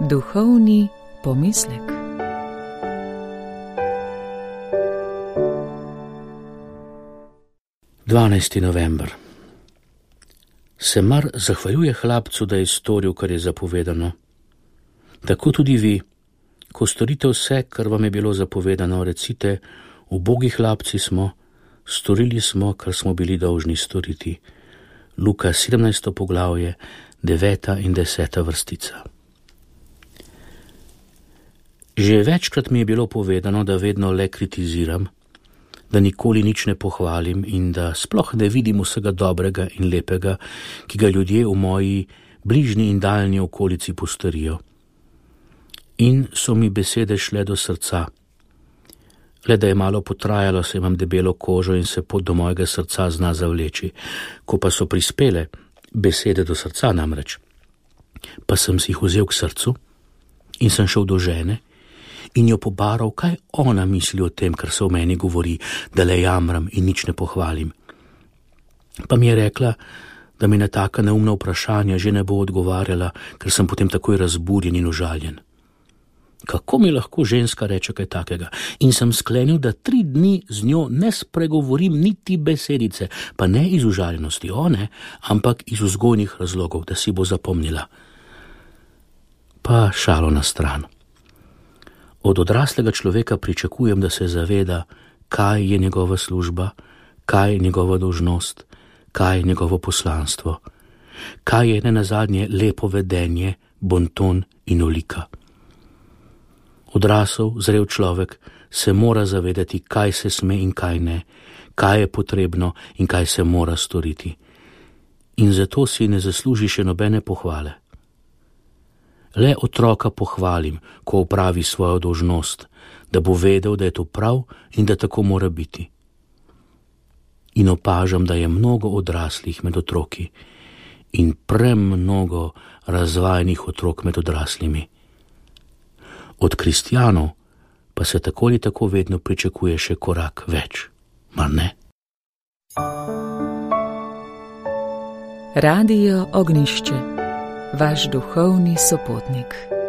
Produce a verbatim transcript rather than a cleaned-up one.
Duhovni pomislek. dvanajsti november. Se mar zahvaljuje hlapcu, da je storil, kar je zapovedano? Tako tudi vi, ko storite vse, kar vam je bilo zapovedano, recite: ubogi hlapci smo, storili smo, kar smo bili dolžni storiti. Luka sedemnajsto poglavje, deveta in deseta vrstica. Že večkrat mi je bilo povedano, da vedno le kritiziram, da nikoli nič ne pohvalim in da sploh ne vidim vsega dobrega in lepega, ki ga ljudje v moji bližnji in daljni okolici postorijo. In so mi besede šle do srca. Le da je malo potrajalo, se imam debelo kožo in se pot do mojega srca zna zavleči. Ko pa so prispele, besede do srca namreč, pa sem si jih vzel k srcu in sem šel do žene in jo pobaral, kaj ona misli o tem, kar se o meni govori, da le jamram in nič ne pohvalim. Pa mi je rekla, da mi na taka neumna vprašanja že ne bo odgovarjala, ker sem potem takoj razburjen in užaljen. Kako mi lahko ženska reče kaj takega? In sem sklenil, da tri dni z njo ne spregovorim niti besedice, pa ne iz užaljenosti, o ne, ampak iz vzgojnih razlogov, da si bo zapomnila. Pa šalo na stran. Od odraslega človeka pričakujem, da se zaveda, kaj je njegova služba, kaj je njegova dolžnost, kaj je njegovo poslanstvo, kaj je nenazadnje lepo vedenje, bonton in olika. Odrasel, zrel človek se mora zavedati, kaj se sme in kaj ne, kaj je potrebno in kaj se mora storiti. In zato si ne zasluži še nobene pohvale. Le otroka pohvalim, ko opravi svojo dolžnost, da bo vedel, da je to prav in da tako mora biti. In opažam, da je mnogo odraslih med otroki in premnogo razvajenih otrok med odraslimi. Od kristjanov pa se tako ali tako vedno pričakuje še korak več, mar ne? Radio Ognjišče, vaš duhovni sopotnik.